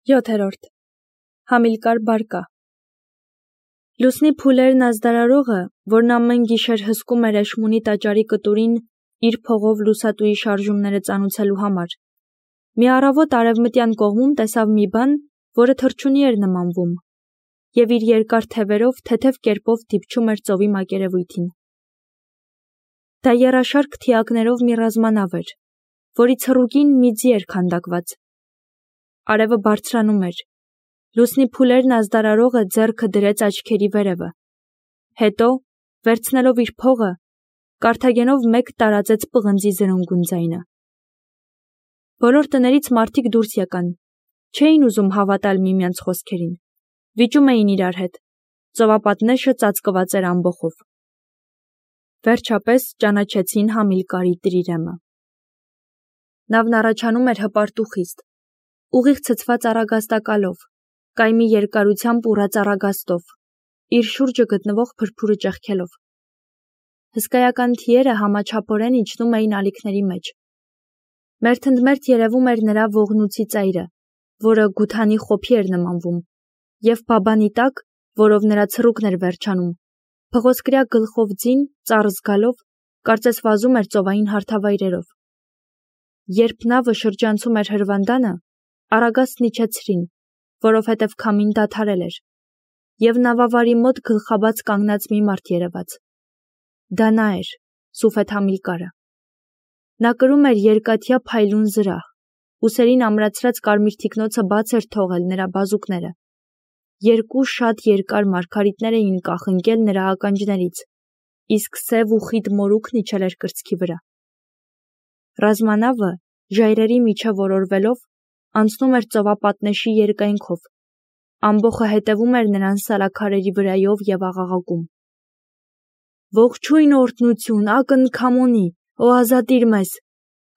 7. Համիլկար բարկա Լուսնի փուլերն ազդարարողը, որն ամեն գիշեր հսկում էր Էշմունի տաճարի կտուրին իր փողով լուսատուի շարժումները ծանուցելու համար, մի առավոտ արևմտյան կողմում տեսավ մի բան, որը թռչունի էր նմանվում, և իր երկար թևերով թեթև կերպով դիպչում էր ծովի մակերևույթին։ Դա եռաշարք թիակներով մի ռազմանավ էր, որի ցռուկին մի ձի էր քանդակված։ Արևը բարձրանում էր, լուսնի փուլերն ազդարարողը ձեռքը դրեց աչքերի վերևը, հետո, վերցնելով իր փողը, կարթագենով մեկ տարածեց պղնձի զրնգուն ձայնը։ Բոլոր տներից մարդիկ դուրս եկան, չէին ուզում հավատալ միմյանց խոսքերին, վիճում էին իրար հետ, ծովապատնեշը ծածկված էր ամբոխով։ Վերջապես ճանաչեցին Համիլկարի տրիրեմը։ Նավն առաջանում էր հպարտ ու խիստ, ուղիղ ցցված առագաստակալով, կայմի երկարությամբ ուռած առագաստով, իր շուրջը գտնվող փրփուրը ճեղքելով։ Հսկայական թիերը համաչափորեն իջնում էին ալիքների մեջ։ Մերթընդմերթ երևում էր նրա ողնուցի ծայրը, որը գութանի խոփի էր նմանվում, և բաբանի տակ, որով նրա ցռուկն էր վերջանում, փղոսկրյա գլխով ձին, ծառ զգալով, կարծես վազում էր ծովային հարթավայրերով։ Երբ նավը շրջանցում էր հրվանդանը, առագաստն իջեցրին, որովհետև քամին դադարել էր, և նավավարի մոտ գլխաբաց կանգնած մի մարդ երևաց։ Դա նա էր, Սուֆեթ Համիլկարը։ Նա կրում էր երկաթյա փայլուն զրահ, ուսերին ամրացրած կարմիր թիկնոցը բաց էր թողել նրա բազուկները։ Երկու շատ երկար մարգարիտներ էին կախնկել նրա ականջներից, իսկ սև ու խիտ մորուքն իջել էր կրծքի վրա։ Ռազմանավը, ժայռերի միջև որորվելով, անցնում էր ծովապատնեշի երկայնքով, ամբոխը հետևում էր նրան սալաքարերի վրայով և աղաղակում. «Ողջույն օրհնություն, ակնքամոնի, ո ազատիր մեզ,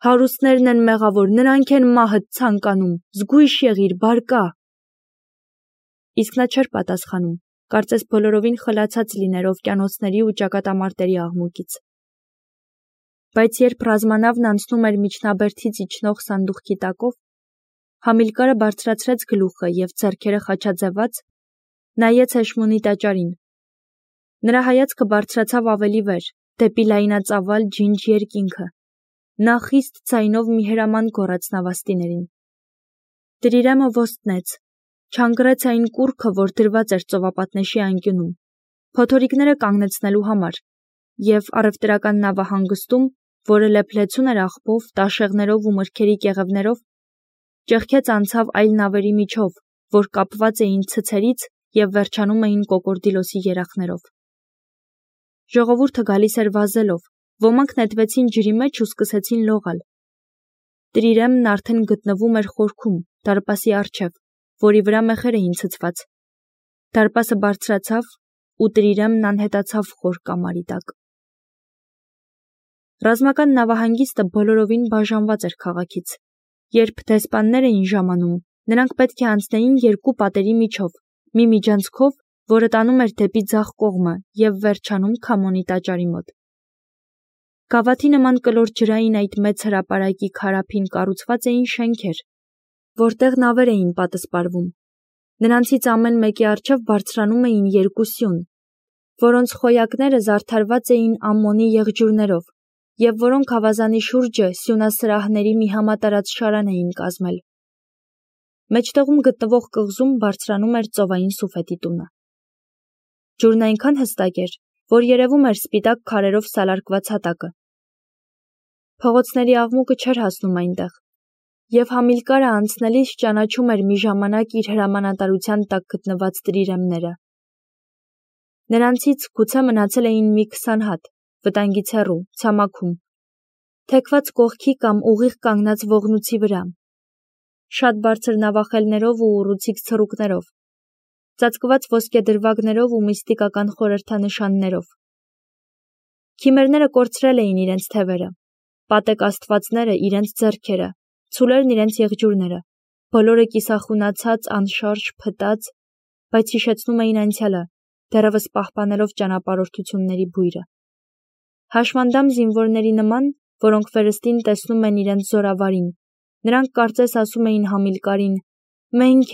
հարուստներն են մեղավոր, նրանք են մահդ ցանկանում, զգույշ եղիր, բարկա»։ Իսկ նա չէր պատասխանում, կարծես բոլորովին խլացած լիներ օվկիանոսների ու ճակատամարտերի աղմուկից։ Բայց երբ ռազմանավն անցնում էր միջնաբերդից իջնող սանդուղքի տակով, Համիլկարը բարձրացրեց գլուխը և ձեռքերը խաչաձևած, նայեց Էշմունի տաճարին։ Նրա հայացքը բարձրացավ ավելի վեր, դեպի լայնածավալ ջինջ երկինքը։ Նա խիստ ձայնով մի հրաման գոռաց նավաստիներին։ Տրիրեմը ոստնեց, չանգռեց այն կուռքը, որ դրված էր ծովապատնեշի անկյունում, փոթորիկները կանգնեցնելու համար, և առևտրական նավահանգստում, որը լեփլեցուն էր աղբով, տաշեղներով ու մրգերի կեղևներով, ճեղքեց անցավ այլ նավերի միջով, որ կապված էին ցցերից և վերջանում էին կոկորդիլոսի երախներով։ Ժողովուրդը գալիս էր վազելով, ոմանք նետվեցին ջրի մեջ ու սկսեցին լողալ։ Տրիրեմն արդեն գտնվում էր խորքում, դարպասի առջև, որի վրա մեխեր էին ցցված։ Դարպասը բարձրացավ, ու տրիրեմն անհետացավ խոր կամարի տակ։ Ռազմական նավահանգիստը բոլորովին բաժանված էր քաղաքից։ Երբ դեսպաններ էին ժամանում, նրանք պետք է անցնեին երկու պատերի միջով, մի միջանցքով, որը տանում էր դեպի ձախ կողմը և վերջանում Քամոնի տաճարի մոտ։ Գավաթի նման կլոր ջրային այդ մեծ հրապարակի քարափին կառուցված էին շենքեր, որտեղ նավեր էին պատսպարվում։ Նրանցից ամեն մեկի առջև բարձրանում էին երկու սյուն, որոնց խոյակները զարդարված էին ամմոնի եղջյուրներով, և որոնք ավազանի շուրջը սյունասրահների մի համատարած շարան էին կազմել։ Մեջտեղում գտնվող կղզում բարձրանում էր ծովային Սուֆետի տունը։ Ջուրն այնքան հստակ էր, որ երևում էր սպիտակ քարերով սալարկված հատակը։ Փողոցների աղմուկը չէր հասնում այնտեղ, և Համիլկարը անցնելիս ճանաչում էր մի ժամանակ իր հրամանատարության տակ գտնված տրիրեմները։ Նրանցից գուցե մնացել էին մի 20 հատ, վտանգից հեռու, ցամաքում, թեքված կողքի կամ ուղիղ կանգնած ողնուցի վրա, շատ բարձր նավախելներով ու ուռուցիկ ցռուկներով, ծածկված ոսկեդրվագներով ու միստիկական խորհրդանշաններով։ Քիմերները կորցրել էին իրենց թևերը, պատեկ աստվածները իրենց ձեռքերը, ցուլերն իրենց եղջյուրները, բոլորը կիսախունացած, անշարժ, փտած, բայց հիշեցնում էին անցյալը, դեռևս պահպանելով ճանապարհորդությունների բույրը։ Հաշմանդամ զինվորների նման, որոնք վերստին տեսնում են իրենց զորավարին, նրանք կարծես ասում էին Համիլկարին. Մենք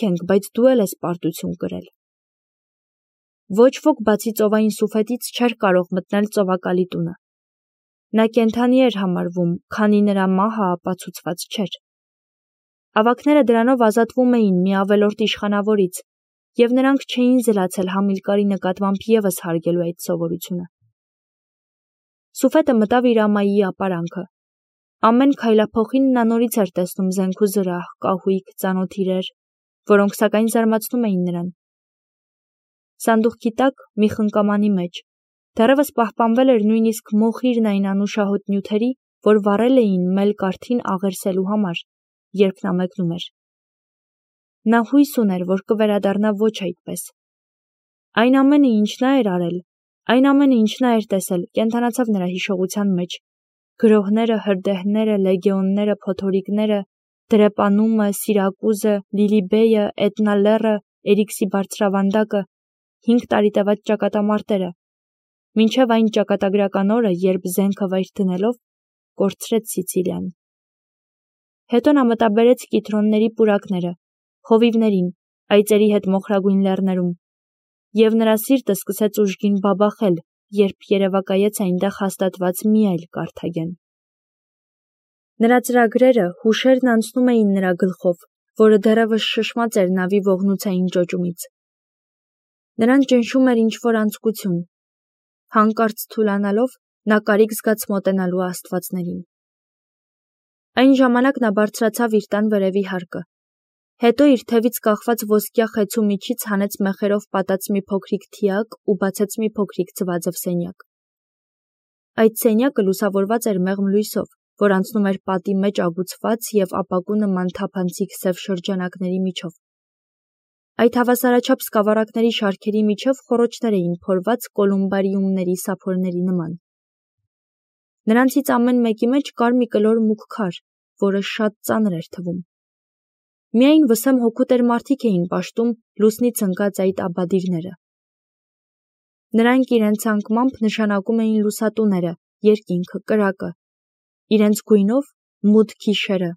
ենք, բայց դու էլ ես պարտություն կրել։ Ոչ ոք բացի ծովային Սուֆետից չէր կարող մտնել ծովակալի տունը։ Նա կենդանի էր համարվում, քանի նրա մահը ապացուցված չէր։ Ավագները դրանով ազատվում էին մի ավելորդ իշխանավորից, և նրանք չէին զլացել Համիլկարի նկատմամբ ևս հարգելու այդ սովորությունը։ Սուֆետը մտավ իր ամայի ապարանքը։ Ամեն քայլափոխին նա նորից էր տեսնում զենք ու զրահ, կահույք, ծանոթ իրեր, որոնք սակայն զարմացնում էին նրան։ Սանդուղքի տակ, մի խնկամանի մեջ, դեռևս պահպանվել էր նույնիսկ մոխիրն այն անուշահոտ նյութերի, որ վառել էին մել կարթին աղերսելու համար, երբ նա մեկնում էր։ Նա հույս ուներ, որ կվերադառնա ոչ այդպես։ Այն ամենը, ինչ նա էր արել, այն ամենը, ինչ նա էր տեսել, կենդանացավ նրա հիշողության մեջ։ Գրոհները, հրդեհները, լեգեոնները, փոթորիկները, դրեպանումը, Սիրակուզը, Լիլիբեյը, Էտնա լեռը, Էրիքսի բարձրավանդակը, 5 տարի տևած ճակատամարտերը, մինչև այն ճակատագրական օրը, երբ զենքը վայր դնելով կորցրեց Սիցիլիան։ Հետո նա մտաբերեց կիտրոնների պուրակները, խովիվներին, այծերի հետ մոխրագույն լեռներում, և նրա սիրտը սկսեց ուժգին բաբախել, երբ երևակայեց այնտեղ հաստատված մի այլ Կարթագեն։ Նրա ծրագրերը, հուշերն անցնում էին նրա գլխով, որը դեռևս շշմած էր նավի ողնուցային ճոճումից։ Նրան ճնշում էր ինչ-որ անձկություն։ Հանկարծ թուլանալով, նա կարիք զգաց մոտենալու աստվածներին։ Այն ժամանակ նա բարձրացավ իր տան վերևի հարկը։ Հետո իր թևից կախված ոսկյա խեցու միջից հանեց մեխերով պատած մի փոքրիկ թիակ ու բացեց մի փոքրիկ ձվաձվ սենյակ։ Այդ սենյակը լուսավորված էր մեղմ լույսով, որ անցնում էր պատի մեջ ագուցված և ապակու նման թափանցիկ սև շրջանակների միջով։ Այդ հավասարաչափ սկավառակների շարքերի միջև խոռոչներ էին փորված կոլումբարիումների սափորների նման։ Նրանցից ամեն մեկի մեջ կար մի կլոր մուգ քար, որը շատ ծանր էր թվում։ Միայն վսեմ հոգուտեր մարդիկ էին պաշտում լուսնից ընկած այդ աբադիրները։ Նրանք իրենց անկմամբ նշանակում էին լուսատուները, երկինքը, կրակը, իրենց գույնով մութ գիշերը,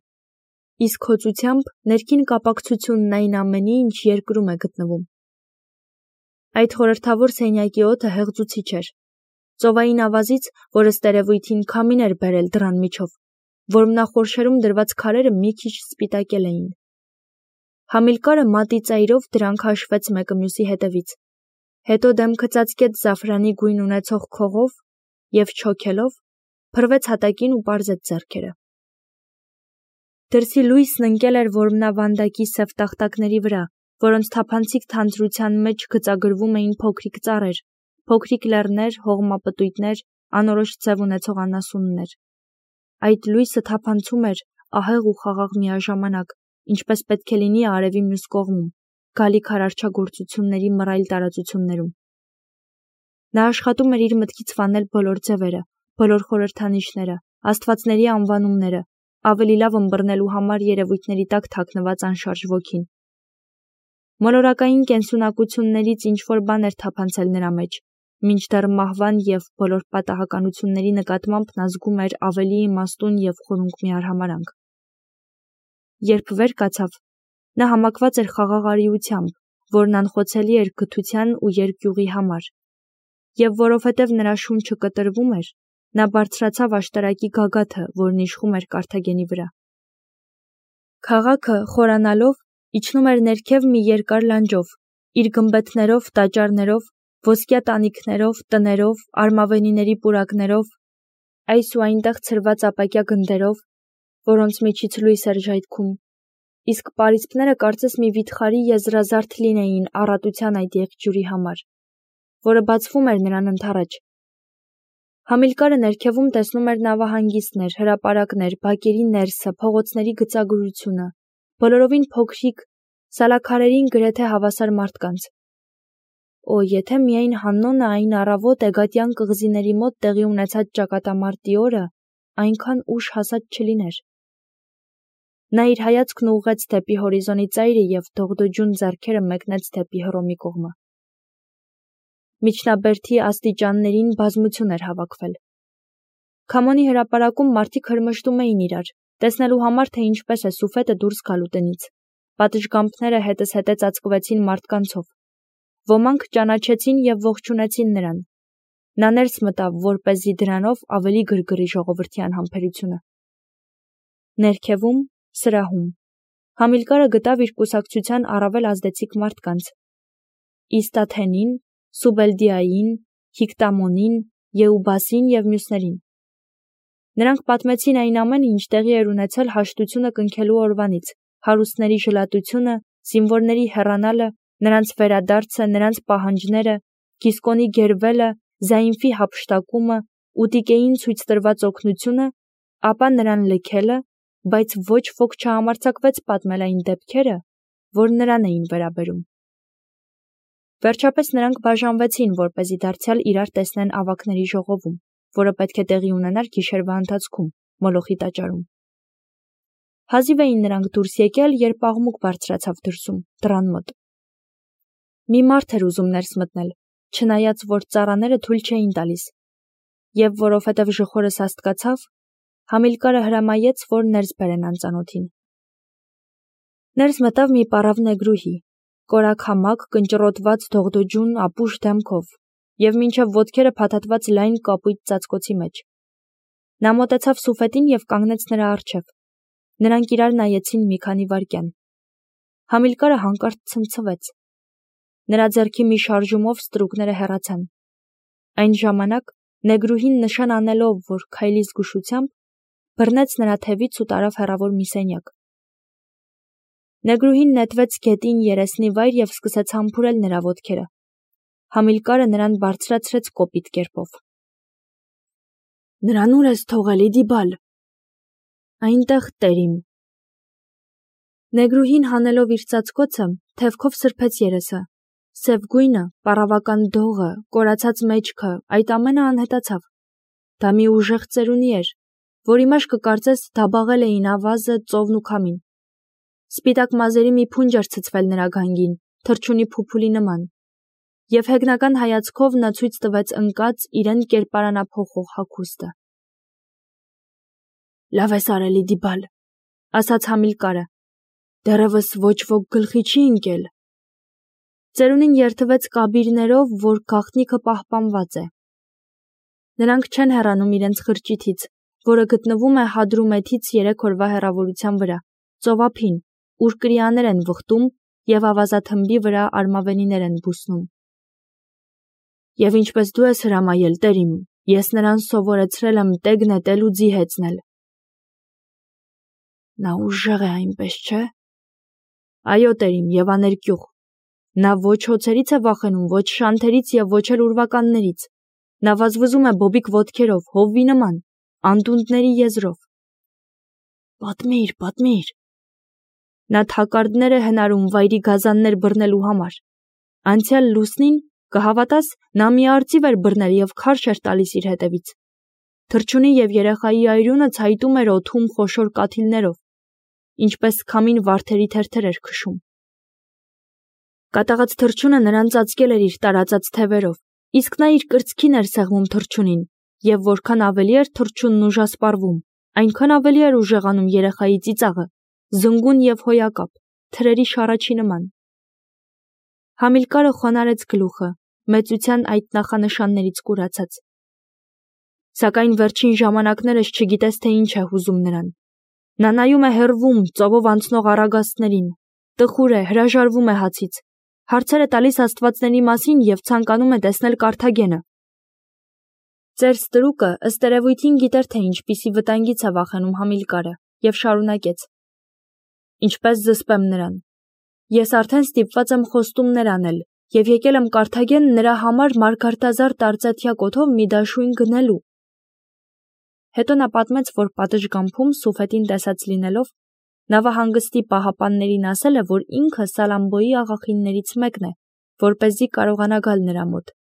իսկ հոծությամբ ներքին կապակցությունն այն ամենի, ինչ երկրում է գտնվում։ Այդ խորհրդավոր սենյակի օդը հեղձուցիչ էր։ Ծովային ավազից, որ ըստ երևույթին քամին էր բերել դռան միջով, որմնախորշերում դրված քարերը մի քիչ սպիտակել էին։ Համիլկարը մատի ծայրով դրանք հաշվեց մեկը մյուսի հետևից, հետո դեմքը ծածկեց զաֆրանի գույն ունեցող քողով և չոքելով փռվեց հատակին ու պարզեց ձեռքերը։ Դրսի լույսն ընկել էր որմնավանդակի սև տախտակների վրա, որոնց թափանցիկ թանձրության մեջ գծագրվում էին փոքրիկ ծառեր, փոքրիկ լեռներ, հողմապտույտներ, անորոշ ձև ունեցող անասուններ։ Այդ լույսը թափանցում էր ահեղ ու խաղաղ միաժամանակ, ինչպես պետք է լինի արևի մյուս կողմում, գալիք արարչագործությունների մռայլ տարածություններում։ Նա աշխատում էր իր մտքից վանել բոլոր ձևերը, բոլոր խորհրդանիշները, աստվածների անվանումները, ավելի լավ ըմբռնելու համար երևույթների տակ թաքնված անշարժ ոգին։ Մոլորակային կենսունակություններից ինչ-որ բան էր թափանցել նրա մեջ, մինչդեռ մահվան և բոլոր պատահականությունների նկատմամբ նա զգում էր ավելի իմաստուն և խորունկ մի արհամարհանք։ Երբ վեր կացավ, նա համակված էր խաղաղ արիությամբ, որն անխոցելի էր գթության ու երկյուղի համար, և որովհետև նրա շունչը կտրվում էր, նա բարձրացավ աշտարակի գագաթը, որն իշխում էր Կարթագենի վրա։ Քաղաքը, խորանալով, իջնում էր ներքև մի երկար լանջով, իր գմբեթներով, տաճարներով, ոսկյա տանիքներով, տներով, արմավենիների պուրակներով, այս ու այնտեղ ցրված ապակյա գնդերով, որոնց միջից լույս էր ժայթքում, իսկ պարիսպները կարծես մի վիթխարի եզրազարդ լինեին առատության այդ եղջյուրի համար, որը բացվում էր նրան ընդառաջ։ Համիլկարը ներքևում տեսնում էր նավահանգիստներ, հրապարակներ, բակերի ներսը, փողոցների գծագրությունը, բոլորովին փոքրիկ, սալաքարերին գրեթե հավասար մարդկանց։ Օ, եթե միայն Հաննոնը այն առավոտ Էգատյան կղզիների մոտ տեղի ունեցած ճակատամարտի օրը այնքան ուշ հասած չլիներ։ Նա իր հայացքն ուղղեց դեպի հորիզոնի ծայրը և դողդոջուն ձեռքերը մեկնեց դեպի Հռոմի կողմը։ Միջնաբերդի աստիճաններին բազմություն էր հավաքվել։ Քամոնի հրապարակում մարդիկ հրմշտում էին իրար, տեսնելու համար, թե ինչպես է Սուֆետը դուրս գալու տնից, պատշգամբները հետզհետե ծածկվեցին մարդկանցով։ Ոմանք ճանաչեցին և ողջունեցին նրան։ Նա ներս մտավ, որպեսզի դրանով ավելի գրգռի ժողովրդյան համբերությունը։ Ներքևում, սրահում, Համիլկարը գտավ իր կուսակցության առավել ազդեցիկ մարդկանց՝ Իստաթենին, Սուբելդիային, Հիկտամոնին, Եուբասին և մյուսներին։ Նրանք պատմեցին այն ամենը, ինչ տեղի էր ունեցել հաշտությունը կնքելու օրվանից, հարուստների ժլատությունը, զինվորների հեռանալը, նրանց վերադարձը, նրանց պահանջները, Գիսկոնի գերվելը, Զայինֆի հափշտակումը, Ուտիկեին ցույց տրված օգնությունը, ապա նրան լքելը, բայց ոչ ոք չհամարձակվեց պատմել այն դեպքերը, որ նրան էին վերաբերում։ Վերջապես նրանք բաժանվեցին, որպեսզի դարձյալ իրար տեսնեն ավագների ժողովում, որը պետք է տեղի ունենար գիշերվա ընթացքում, Մոլոխի տաճարում։ Հազիվ էին նրանք դուրս եկել, երբ աղմուկ բարձրացավ դրսում, դռան մոտ։ Մի մարդ էր ուզում ներս մտնել, չնայած որ ծառաները թույլ չէին տալիս, և որովհետև ժխորը սաստկացավ, Համիլկարը հրամայեց, որ ներս բերեն անծանոթին։ Ներս մտավ մի պառավ նեգրուհի, կորաքամակ, կնճռոտված դողդոջուն ապուշ դեմքով և մինչև ոտքերը փաթաթված լայն կապույտ ծածկոցի մեջ։ Նա մոտեցավ Սուֆետին և կանգնեց նրա առջև։ Նրանք իրար նայեցին մի քանի վայրկյան։ Համիլկարը հանկարծ ցնցվեց։ Նրա ձեռքի մի շարժումով ստրուկները հեռացան։ Այն ժամանակ նեգրուհին նշան անելով, որ քայլի զգուշությամբ, բռնեց նրա թևից ու տարավ հեռավոր մի սենյակ։ Նեգրուհին նետվեց գետին երեսնի վայր և սկսեց համբուրել նրա ոտքերը։ Համիլկարը նրան բարձրացրեց կոպիտ կերպով։ Նրան ուր ես թողել, Իդիբալ։ Այնտեղ, տերիմ։ Նեգրուհին հանելով իր ծածկոցը, թևքով սրբեց երեսը։ Սև գույնը, պառավական դողը, կորացած մեջքը, այդ ամենը անհետացավ։ Դա մի ուժեղ ծերունի էր, որի մեջ կկարծես դաբաղել էին ավազը, ծովն ու քամին։ Սպիտակ մազերի մի փունջ էր ցցվել նրա գանգին, թռչունի փուփուլի նման, և հեգնական հայացքով նա ցույց տվեց ընկած իրեն կերպարանափոխող հագուստը։ Լավ ես արել, Իդիբալ, ասաց Համիլկարը, դեռևս ոչ ոք գլխի չի ընկել։ Ծերունին երդվեց կաբիրներով, որ գաղտնիքը պահպանված է։ Նրանք չեն հեռանում իրենց խրճիթից, որը գտնվում է Հադրումեթից 3 օրվա հեռավորության վրա, ծովափին, ուր կրիաներ են վխտում և ավազաթմբի վրա արմավենիներ են բուսնում։ Եվ ինչպես դու ես հրամայել, տերիմ, ես նրան սովորեցրել եմ տեգ նետել ու ձի հեծնել։ Նա ուժեղ է այնպես, չէ՞։ Այո, տերիմ, և աներկյուղ։ Նա ոչ հոցերից է վախենում, ոչ շանթերից և ոչ էլ ուրվականներից։ Նա վազվզում է բոբիկ ոտքերով, հովվի նման, անդունդների եզրով։ Պատմիր, պատմիր։ Նա թակարդներ է հնարում վայրի գազաններ բռնելու համար։ Անցյալ լուսնին, կհավատաս, նա մի արծիվ էր բռնել և քարշ էր տալիս իր հետևից։ Թռչունի և երեխայի այրունը ցայտում էր օդում խոշոր կաթիլներով, ինչպես քամին վարդերի թերթեր էր քշում։ Կատաղած թռչունը նրան ծածկել էր իր տարածած թևերով, իսկ նա իր կրծքին էր սեղմում թռչունին, և որքան ավելի էր թռչունն ուժասպառվում, այնքան ավելի էր ուժեղանում երեխայի ծիծաղը, զնգուն և հոյակապ, թրերի շառաչի նման։ Համիլկարը խոնարհեց գլուխը, մեծության այդ նախանշաններից կուրացած։ Սակայն վերջին ժամանակներս չգիտես, թե ինչ է հուզում նրան։ Նա նայում է հեռվում, ծովով անցնող առագաստներին, տխուր է, հրաժարվում է հացից, հարցեր է տալիս աստվածների մասին և ցանկանում է տեսնել Կարթագենը։ Ծեր ստրուկը ըստ երևույթին գիտեր, թե ինչպիսի վտանգից է վախենում Համիլկարը, և շարունակեց. Ինչպես զսպեմ նրան։ Ես արդեն ստիպված եմ խոստումներ անել և եկել եմ Կարթագեն նրա համար մարգարտազար տարծաթյա կոթով մի դաշույն գնելու։ Հետո նա պատմեց, որ պատշգամբում Սուֆետին տեսած լինելով, նավահանգստի պահապաններին ասել է, որ ինքը Սալամբոյի աղախիններից մեկն է, որպեսզի կարողանա գալ նրա մոտ։